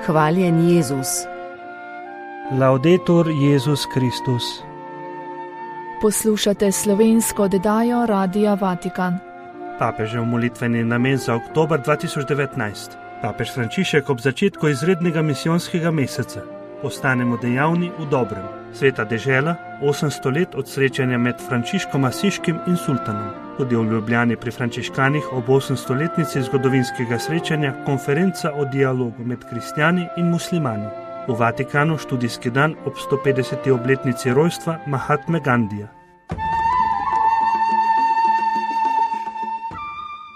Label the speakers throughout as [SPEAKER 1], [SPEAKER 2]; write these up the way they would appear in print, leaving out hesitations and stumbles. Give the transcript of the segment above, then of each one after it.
[SPEAKER 1] Hvaljen Jezus.
[SPEAKER 2] Laudetur Jezus Kristus.
[SPEAKER 3] Poslušate slovensko oddajo Radia Vatikan.
[SPEAKER 2] Papežev molitveni namen za oktober 2019. Papež Frančišek ob začetku izrednega misijonskega meseca. Ostanemo dejavni v dobrem. Sveta dežela, 800 let od srečanja med Frančiškom Asiškim in sultanom. Tudi v Ljubljani pri frančiškanih ob 800-letnici zgodovinskega srečanja konferenca o dialogu med kristjani in muslimani. V Vatikanu študijski dan ob 150. obletnici rojstva Mahatme Gandija.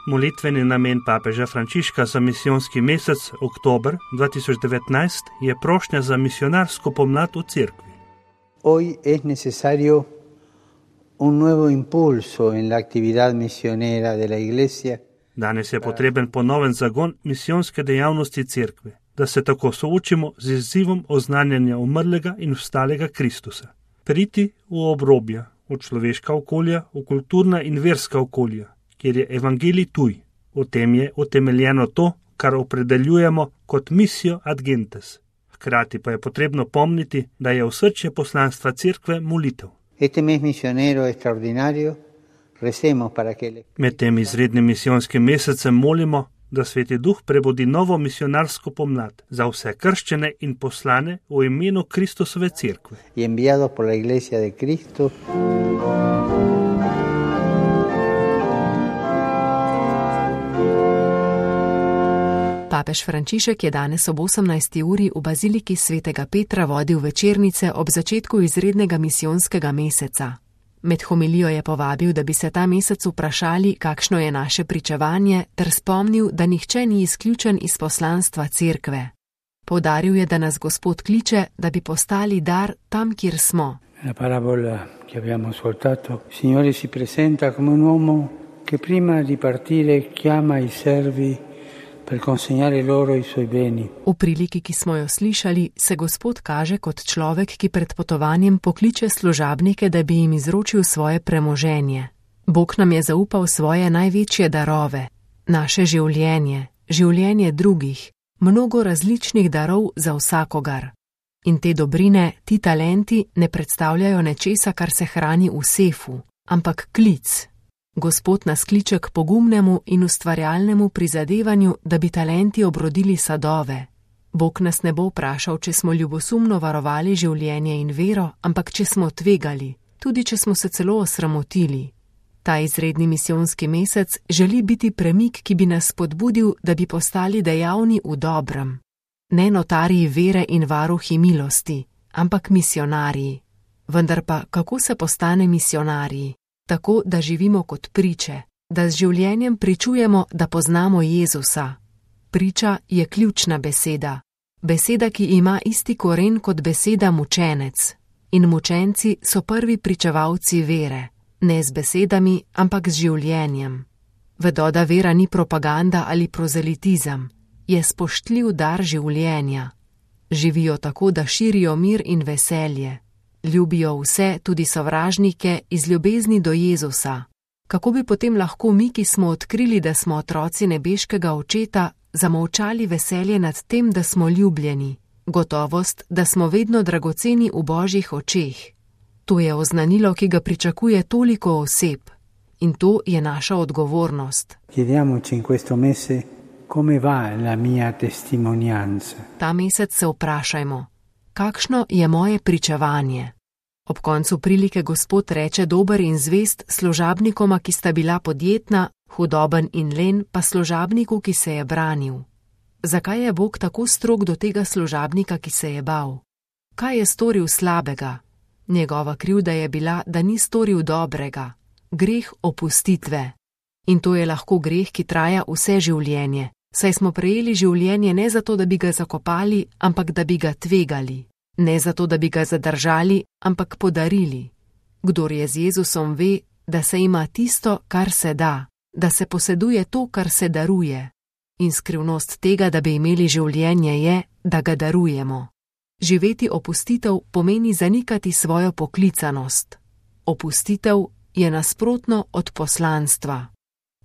[SPEAKER 2] Molitveni namen papeža Frančiška za misijonski mesec oktober 2019 je prošnja za misionarsko pomlad v cerkvi.
[SPEAKER 4] Hoy es necesario un nuevo impulso en la actividad misionera de la Iglesia.
[SPEAKER 2] Danes je potreben ponoven zagon misijonske dejavnosti cerkve, da se tako soočimo z izzivom oznanjanja umrlega in vstalega Kristusa. Priti v obrobja, v človeška okolja, v kulturna in verska okolja, kjer je evangelij tuj. V tem je utemeljeno to, kar opredeljujemo kot misijo ad gentes. Hkrati pa je potrebno pomniti, da je osrčje poslanstva cerkve molitev. Med tem izrednim misijonskim mesecem molimo, da Sveti Duh prebudi novo misionarsko pomlad za vse krščene in poslane v imenu Kristusove cerkve.
[SPEAKER 1] Papež Frančišek je danes ob 18. uri v baziliki svetega Petra vodil večernice ob začetku izrednega misijonskega meseca. Med homilijo je povabil, da bi se ta mesec vprašali, kakšno je naše pričevanje, ter spomnil, da nihče ni izključen iz poslanstva cerkve. Poudaril je, da nas Gospod kliče, da bi postali dar tam, kjer smo.
[SPEAKER 4] La parabola, ki abbiamo ascoltato, Signore si presenta come un uomo che prima di partire chiama i servi per consegnare loro i suoi beni.
[SPEAKER 1] V priliki, ki smo jo slišali, se Gospod kaže kot človek, ki pred potovanjem pokliče služabnike, da bi jim izročil svoje premoženje. Bog nam je zaupal svoje največje darove, naše življenje, življenje drugih, mnogo različnih darov za vsakogar. In te dobrine, ti talenti ne predstavljajo nečesa, kar se hrani v sefu, ampak klic. Gospod nas kliče k pogumnemu in ustvarjalnemu prizadevanju, da bi talenti obrodili sadove. Bog nas ne bo vprašal, če smo ljubosumno varovali življenje in vero, ampak če smo tvegali, tudi če smo se celo osramotili. Ta izredni misijonski mesec želi biti premik, ki bi nas spodbudil, da bi postali dejavni v dobrem. Ne notarji vere in varuhi milosti, ampak misionarji. Vendar pa, kako se postane misionarji? Tako, da živimo kot priče, da z življenjem pričujemo, da poznamo Jezusa. Priča je ključna beseda. Beseda, ki ima isti koren kot beseda mučenec. In mučenci so prvi pričevalci vere. Ne z besedami, ampak z življenjem. Vedo, da vera ni propaganda ali prozelitizem. Je spoštljiv dar življenja. Živijo tako, da širijo mir in veselje. Ljubijo vse, tudi sovražnike, iz ljubezni do Jezusa. Kako bi potem lahko mi, ki smo odkrili, da smo otroci nebeškega Očeta, zamolčali veselje nad tem, da smo ljubljeni, gotovost, da smo vedno dragoceni v Božjih očeh. To je oznanilo, ki ga pričakuje toliko oseb. In to je naša odgovornost.
[SPEAKER 4] Chiediamoci in questo mese come va la mia testimonianza.
[SPEAKER 1] Ta mesec se vprašajmo, kakšno je moje pričevanje? Ob koncu prilike Gospod reče dober in zvest služabnikoma, ki sta bila podjetna, hudoben in len pa služabniku, ki se je branil. Zakaj je Bog tako strog do tega služabnika, ki se je bal? Kaj je storil slabega? Njegova krivda je bila, da ni storil dobrega. Greh opustitve. In to je lahko greh, ki traja vse življenje. Saj smo prejeli življenje ne zato, da bi ga zakopali, ampak da bi ga tvegali. Ne zato, da bi ga zadržali, ampak podarili. Kdor je z Jezusom ve, da se ima tisto, kar se da, da se poseduje to, kar se daruje. In skrivnost tega, da bi imeli življenje, je, da ga darujemo. Živeti opustitev pomeni zanikati svojo poklicanost. Opustitev je nasprotno od poslanstva.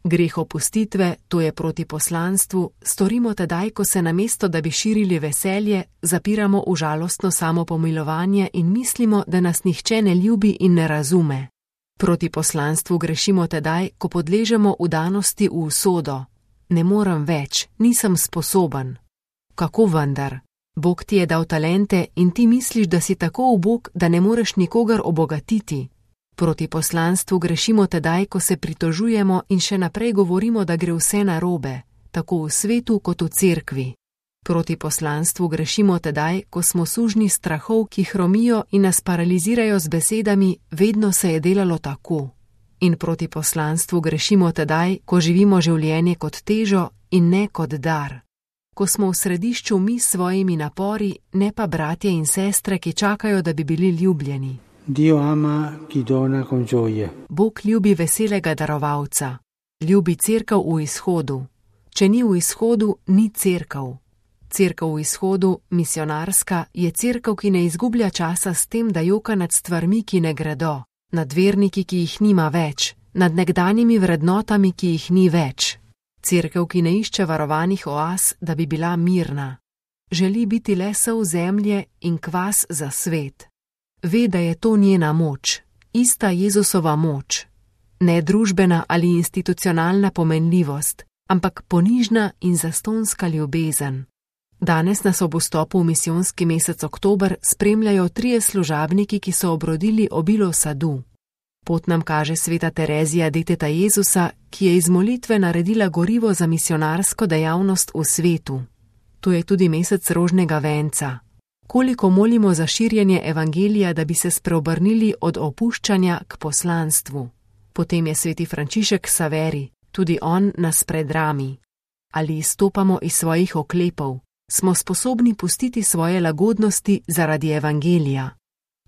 [SPEAKER 1] Greh opustitve, to je proti poslanstvu, storimo tedaj, ko se namesto, da bi širili veselje, zapiramo v žalostno samopomilovanje in mislimo, da nas nihče ne ljubi in ne razume. Proti poslanstvu grešimo tedaj, ko podležemo vdanosti v usodo. Ne morem več, nisem sposoben. Kako vendar? Bog ti je dal talente in ti misliš, da si tako ubog, da ne moreš nikogar obogatiti. Proti poslanstvu grešimo tedaj, ko se pritožujemo in še naprej govorimo, da gre vse narobe, tako v svetu kot v cerkvi. Proti poslanstvu grešimo tedaj, ko smo sužnji strahov, ki hromijo in nas paralizirajo z besedami: vedno se je delalo tako. In proti poslanstvu grešimo tedaj, ko živimo življenje kot težo in ne kot dar. Ko smo v središču mi s svojimi napori, ne pa bratje in sestre, ki čakajo, da bi bili ljubljeni.
[SPEAKER 4] Dio ama chi dona con gioia.
[SPEAKER 1] Bog ljubi veselega darovalca. Ljubi cerkev v izhodu. Če ni v izhodu, ni cerkev. Cerkev v izhodu, misionarska, je cerkev, ki ne izgublja časa s tem, da joka nad stvarmi, ki ne gredo, nad verniki, ki jih nima več, nad nekdanjimi vrednotami, ki jih ni več. Cerkev, ki ne išče varovanih oaz, da bi bila mirna. Želi biti le sol zemlje in kvas za svet. Ve, da je to njena moč, ista Jezusova moč. Ne družbena ali institucionalna pomenljivost, ampak ponižna in zastonska ljubezen. Danes nas ob vstopu v misijonski mesec oktober spremljajo 3 služabniki, ki so obrodili obilo sadu. Pot nam kaže sveta Terezija deteta Jezusa, ki je iz molitve naredila gorivo za misionarsko dejavnost v svetu. To je tudi mesec rožnega venca. Koliko molimo za širjenje evangelija, da bi se spreobrnili od opuščanja k poslanstvu. Potem je sveti Frančišek Saveri, tudi on nas predrami. Ali izstopamo iz svojih oklepov, smo sposobni pustiti svoje lagodnosti zaradi evangelija.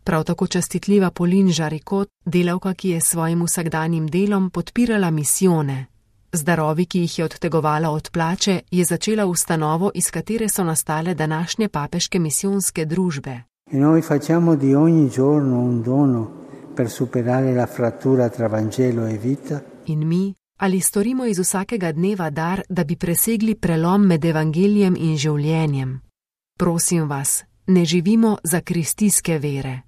[SPEAKER 1] Prav tako častitljiva Polin Žarikot, delavka, ki je s svojim vsakdanjim delom podpirala misijone. Z darovi, ki jih je odtegovala od plače, je začela ustanovo, iz katere so nastale današnje papeške misijonske družbe.
[SPEAKER 4] E noi facciamo di ogni giorno un dono per superare la frattura tra Vangelo e vita.
[SPEAKER 1] In mi, ali storimo iz vsakega dneva dar, da bi presegli prelom med evangelijem in življenjem? Prosim vas, ne živimo za kristijske vere.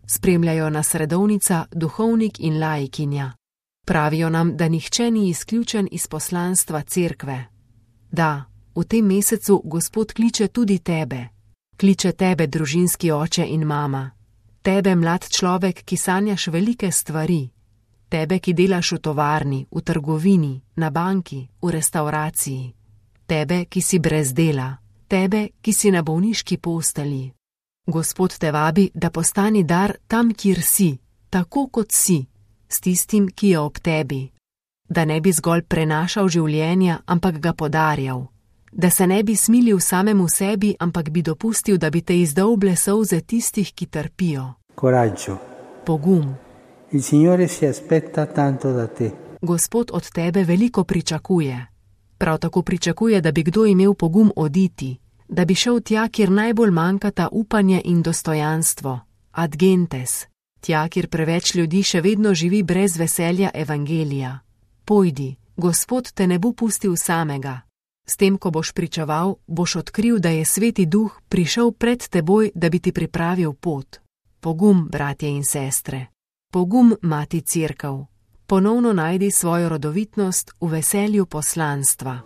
[SPEAKER 1] Spremljajo nas redovnica, duhovnik in laikinja. Pravijo nam, da nihče ni izključen iz poslanstva cerkve. Da, v tem mesecu Gospod kliče tudi tebe. Kliče tebe, družinski oče in mama. Tebe, mlad človek, ki sanjaš velike stvari. Tebe, ki delaš v tovarni, v trgovini, na banki, v restavraciji. Tebe, ki si brez dela. Tebe, ki si na bolniški postelji. Gospod te vabi, da postani dar tam, kjer si, tako kot si, s tistim, ki je ob tebi. Da ne bi zgolj prenašal življenja, ampak ga podarjal. Da se ne bi smilil samemu sebi, ampak bi dopustil, da bi te izdolble solze tistih, ki trpijo.
[SPEAKER 4] Coraggio.
[SPEAKER 1] Pogum.
[SPEAKER 4] Il Signore si aspetta tanto da te.
[SPEAKER 1] Gospod od tebe veliko pričakuje. Prav tako pričakuje, da bi kdo imel pogum oditi, da bi šel tja, kjer najbolj manjkata upanje in dostojanstvo, ad gentes, tja, kjer preveč ljudi še vedno živi brez veselja evangelija. Pojdi, Gospod te ne bo pustil samega. S tem, ko boš pričeval, boš odkril, da je Sveti Duh prišel pred teboj, da bi ti pripravil pot. Pogum, bratje in sestre. Pogum, mati cerkev. Ponovno najdi svojo rodovitnost v veselju poslanstva.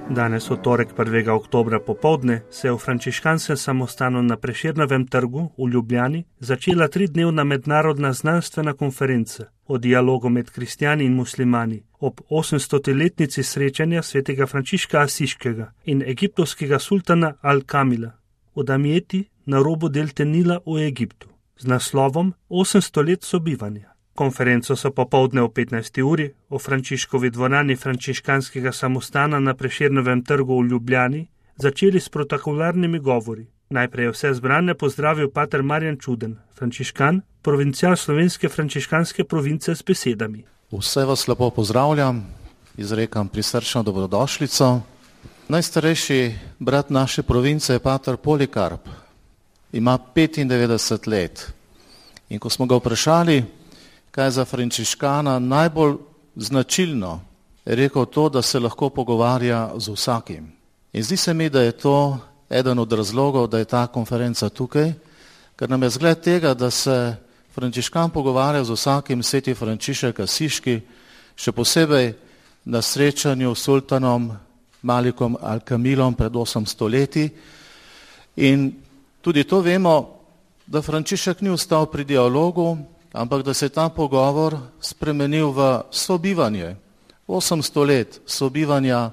[SPEAKER 2] Danes, v torek 1. oktobra popoldne, se je v frančiškanskem samostanu na Prešernovem trgu v Ljubljani začela 3-dnevna mednarodna znanstvena konferenca o dialogu med kristjani in muslimani ob 800-letnici srečanja svetega Frančiška Asiškega in egiptovskega sultana Al-Kamila v Damjeti na robu delte Nila v Egiptu z naslovom 800 let sobivanja. Konferenco so popoldne o 15. uri v Frančiškovi dvorani frančiškanskega samostana na Prešernovem trgu v Ljubljani začeli s protokolarnimi govori. Najprej je vse zbrane pozdravil pater Marjan Čuden, frančiškan, provincial slovenske frančiškanske province s besedami.
[SPEAKER 5] Vse vas lepo pozdravljam, izrekam prisrčno dobrodošlico. Najstarejši brat naše province je pater Polikarp. Ima 95 let. In ko smo ga vprašali, kaj je za frančiškana najbolj značilno, je rekel to, da se lahko pogovarja z vsakim. In zdi se mi, da je to eden od razlogov, da je ta konferenca tukaj, ker nam je zgled tega, da se frančiškan pogovarja z vsakim, sveti Frančišek Asiški, še posebej na srečanju s sultanom Malikom Al-Kamilom pred 800 leti. In tudi to vemo, da Frančišek ni ostal pri dialogu, ampak da se je ta pogovor spremenil v sobivanje. 800 let sobivanja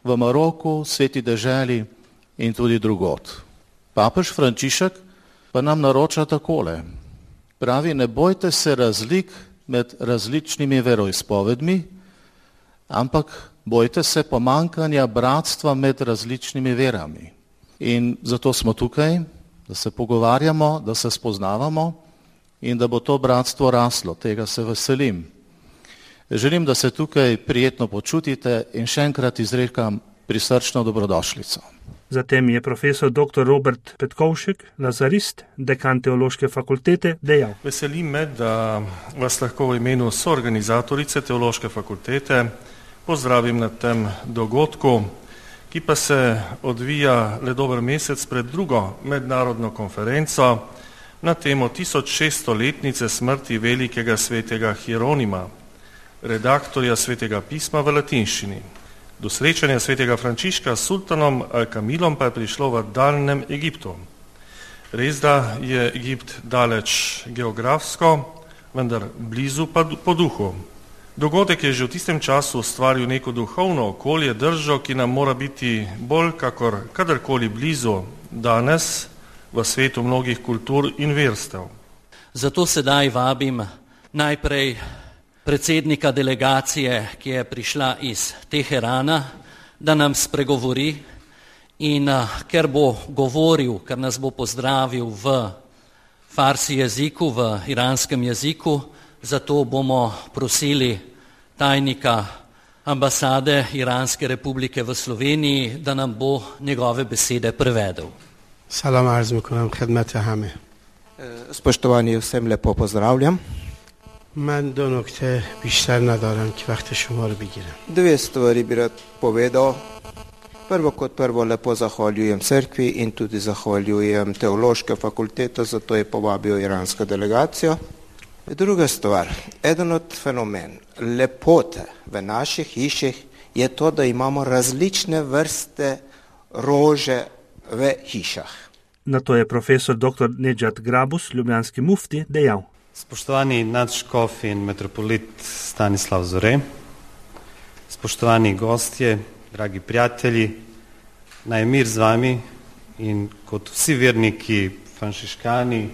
[SPEAKER 5] v Maroku, sveti deželi in tudi drugod. Papež Frančišek pa nam naroča takole. Pravi, ne bojte se razlik med različnimi veroizpovedmi, ampak bojte se pomankanja bratstva med različnimi verami. In zato smo tukaj, da se pogovarjamo, da se spoznavamo in da bo to bratstvo raslo. Tega se veselim. Želim, da se tukaj prijetno počutite in še enkrat izrekam prisrčno dobrodošlico.
[SPEAKER 2] Zatem je profesor dr. Robert Petkovšek, lazarist, dekan Teološke fakultete, dejal.
[SPEAKER 6] Veseli me, da vas lahko v imenu soorganizatorice Teološke fakultete pozdravim na tem dogodku, ki pa se odvija le dober mesec pred drugo mednarodno konferenco na temo 1600-letnice smrti velikega svetega Hieronima, redaktorja svetega pisma v latinščini. Do srečanja svetega Frančiška s sultanom Al-Kamilom pa je prišlo v daljnem Egiptu. Res da je Egipt daleč geografsko, vendar blizu pa po duhu. Dogodek je že v tistem času ustvaril neko duhovno okolje, držo, ki nam mora biti bolj kakor kadarkoli blizu danes v svetu mnogih kultur in verstev.
[SPEAKER 7] Zato sedaj vabim najprej predsednika delegacije, ki je prišla iz Teherana, da nam spregovori in ker bo govoril, ker nas bo pozdravil v farsi jeziku, v iranskem jeziku, zato bomo prosili tajnika ambasade Iranske republike v Sloveniji, da nam bo njegove besede prevedel.
[SPEAKER 8] Salam arz mikonam khidmat hame.
[SPEAKER 9] Spoštovani, vsem lepo pozdravljam.
[SPEAKER 8] من دو نکته بیشتر ندارم که وقت شما رو بگیرم.
[SPEAKER 9] Dve stvari bi rad povedal. Prvo kot prvo lepo zahvaljujem cerkvi in tudi zahvaljujem Teološke fakultete, zato je povabil iransko delegacijo. Druga stvar, eden od fenomen lepote v naših hiših je to, da imamo različne vrste rože v hišah.
[SPEAKER 2] Na to je profesor dr. Nedžad Grabus, ljubljanski mufti, dejal.
[SPEAKER 10] Spoštovani nadškof in metropolit Stanislav Zore, spoštovani gostje, dragi prijatelji, naj mir z vami in kot vsi verniki, frančiškani,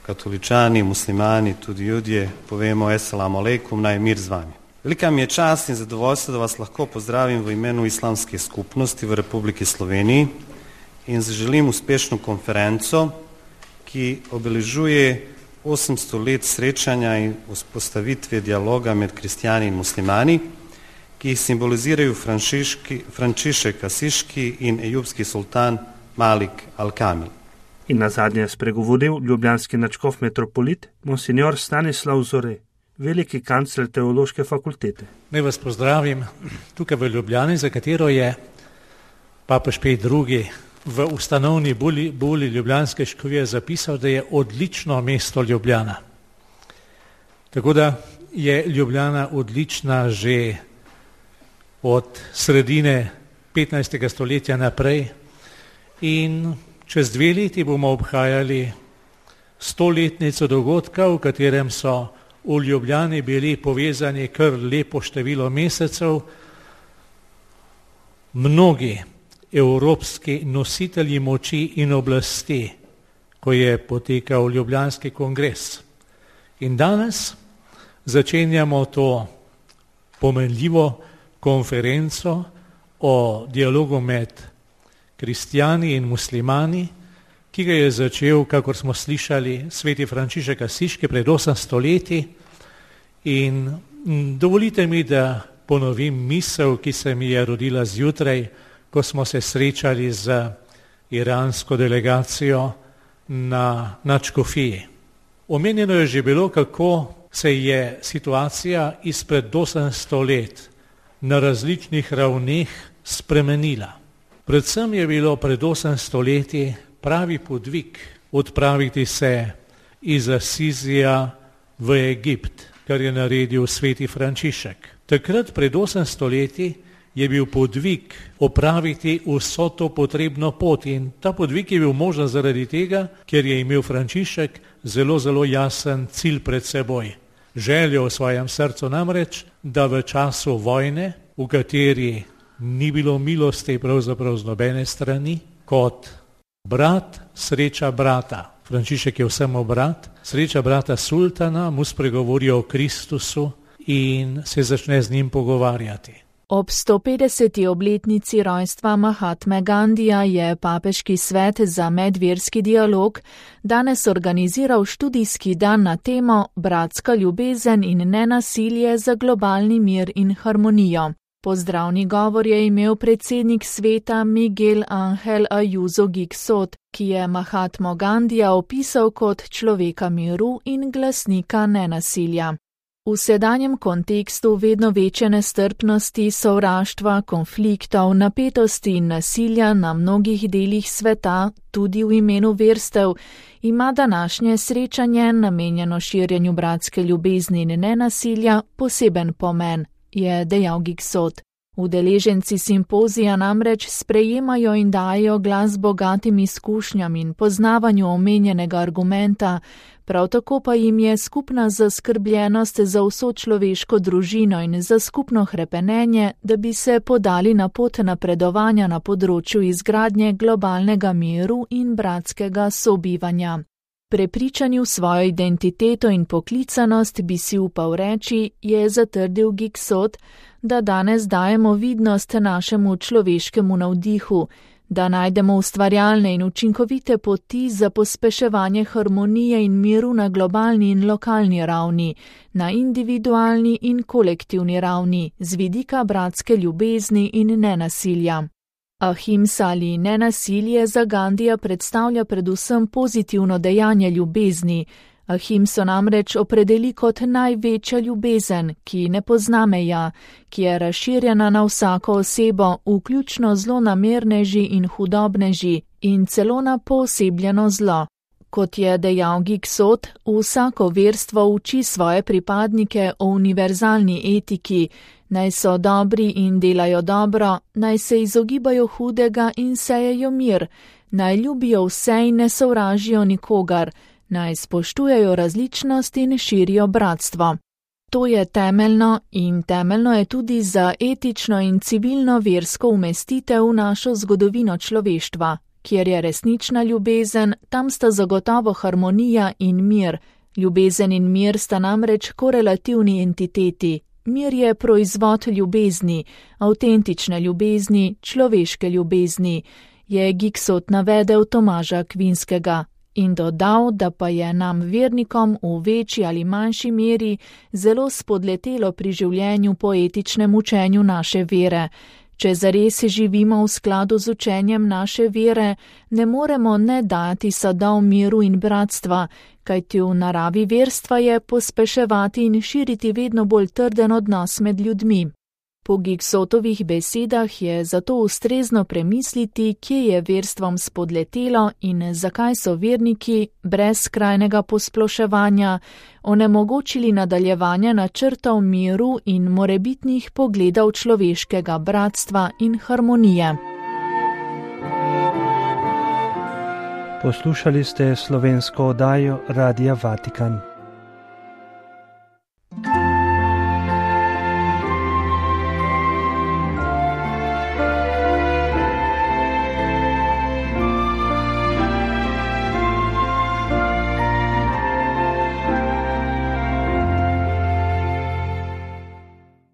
[SPEAKER 10] katoličani, muslimani, tudi judje, povemo Esselamu alejkum, naj mir z vami. Velika mi je čast in zadovoljstvo, da vas lahko pozdravim v imenu islamske skupnosti v Republiki Sloveniji in zaželim uspešno konferenco, ki obeležuje 800 let srečanja in vzpostavitve dialoga med kristjani in muslimani, ki jih simbolizirajo Frančišek Asiški in ejubski sultan Malik Al-Kamil.
[SPEAKER 2] In nazadnje je spregovoril ljubljanski nadškof metropolit monsignor Stanislav Zore, veliki kancler Teološke fakultete.
[SPEAKER 11] Naj vas pozdravim tukaj v Ljubljani, za katero je papež Pej II. V ustanovni buli ljubljanske škofije zapisal, da je odlično mesto Ljubljana. Tako da je Ljubljana odlična že od sredine 15. stoletja naprej in čez 2 leti bomo obhajali 100-letnico dogodka, v katerem so v Ljubljani bili povezani kar lepo število mesecev, mnogi evropski nositelji moči in oblasti, ko je potekal Ljubljanski kongres. In danes začenjamo to pomenljivo konferenco o dialogu med kristjani in muslimani, ki ga je začel, kakor smo slišali, sveti Frančišek Asiški pred 800 leti. In dovolite mi, da ponovim misel, ki se mi je rodila zjutraj, ko smo se srečali z iransko delegacijo na nadškofiji. Omenjeno je že bilo, kako se je situacija izpred 800 let na različnih ravneh spremenila. Predvsem je bilo pred 800 leti pravi podvig odpraviti se iz Asizija v Egipt, kar je naredil sveti Frančišek. Takrat pred 800 leti je bil podvig opraviti vso to potrebno pot in ta podvig je bil možen zaradi tega, ker je imel Frančišek zelo jasen cilj pred seboj. Željo v svojem srcu namreč, da v času vojne, v kateri ni bilo milosti pravzaprav z nobene strani, kot brat sreča brata. Frančišek je vsemu brat, sreča brata sultana, mu spregovori o Kristusu in se začne z njim pogovarjati.
[SPEAKER 3] Ob 150. obletnici rojstva Mahatme Gandija je Papeški svet za medverski dialog danes organiziral študijski dan na temo Bratska ljubezen in nenasilje za globalni mir in harmonijo. Pozdravni govor je imel predsednik sveta Miguel Ángel Ayuso Gixot, ki je Mahatmo Gandija opisal kot človeka miru in glasnika nenasilja. V sedanjem kontekstu vedno večje nestrpnosti, sovraštva, konfliktov, napetosti in nasilja na mnogih delih sveta, tudi v imenu verstev, ima današnje srečanje, namenjeno širjenju bratske ljubezni in nenasilja, poseben pomen, je dejal Gixot. Udeleženci simpozija namreč sprejemajo in dajo glas bogatim izkušnjam in poznavanju omenjenega argumenta, prav tako pa jim je skupna zaskrbljenost za vso človeško družino in za skupno hrepenenje, da bi se podali na pot napredovanja na področju izgradnje globalnega miru in bratskega sobivanja. Prepričani v svojo identiteto in poklicanost bi si upal reči, je zatrdil Gixot, da danes dajemo vidnost našemu človeškemu navdihu, da najdemo ustvarjalne in učinkovite poti za pospeševanje harmonije in miru na globalni in lokalni ravni, na individualni in kolektivni ravni, z vidika bratske ljubezni in nenasilja. Ahimsa ali nenasilje za Gandija predstavlja predvsem pozitivno dejanje ljubezni. Ahimso namreč opredeli kot največja ljubezen, ki ne pozna meja, ki je razširjena na vsako osebo, vključno zlonamerneži in hudobneži in celo na poosebljeno zlo. Kot je dejal Gixot, vsako verstvo uči svoje pripadnike o univerzalni etiki, naj so dobri in delajo dobro, naj se izogibajo hudega in sejejo mir, naj ljubijo vse in ne sovražijo nikogar, naj spoštujejo različnost in širijo bratstvo. To je temeljno in temeljno je tudi za etično in civilno versko umestitev v našo zgodovino človeštva. Kjer je resnična ljubezen, tam sta zagotovo harmonija in mir. Ljubezen in mir sta namreč korelativni entiteti. Mir je proizvod ljubezni, avtentične ljubezni, človeške ljubezni, je Gixot navedel Tomaža Akvinskega in dodal, da pa je nam vernikom v večji ali manjši meri zelo spodletelo pri življenju po etičnem učenju naše vere. Če zares živimo v skladu z učenjem naše vere, ne moremo ne dati sadov miru in bratstva, kajti v naravi verstva je pospeševati in širiti vedno bolj trden odnos med ljudmi. Po Gixotovih besedah je zato ustrezno premisliti, kje je verstvom spodletelo in zakaj so verniki brez skrajnega posploševanja onemogočili nadaljevanje načrtov miru in morebitnih pogledov človeškega bratstva in harmonije.
[SPEAKER 2] Poslušali ste slovensko oddajo Radia Vatikan.